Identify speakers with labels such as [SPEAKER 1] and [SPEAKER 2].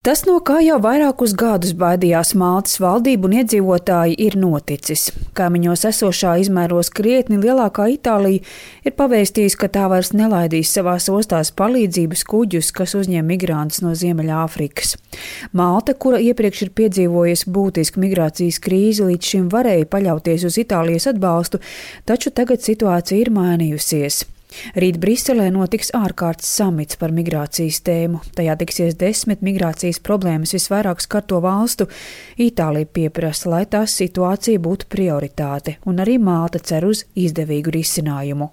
[SPEAKER 1] Tas, no kā jau vairākus gadus baidījās Maltas valdība un iedzīvotāji, ir noticis. Kaimiņos esošā izmēros krietni lielākā Itālija ir pavēstījusi, ka tā vairs nelaidīs savās ostās palīdzības kuģus, kas uzņem migrantus no Ziemeļāfrikas. Malta, kura iepriekš ir piedzīvojusi būtisku migrācijas krīzi, līdz šim varēja paļauties uz Itālijas atbalstu, taču tagad situācija ir mainījusies. Rīt Briselē notiks ārkārtas samits par migrācijas tēmu. Tajā tiksies 10 migrācijas problēmas visvairāk skarto valstu. Itālija pieprasa, lai tās situācija būtu prioritāte, un arī Malta cer uz izdevīgu risinājumu.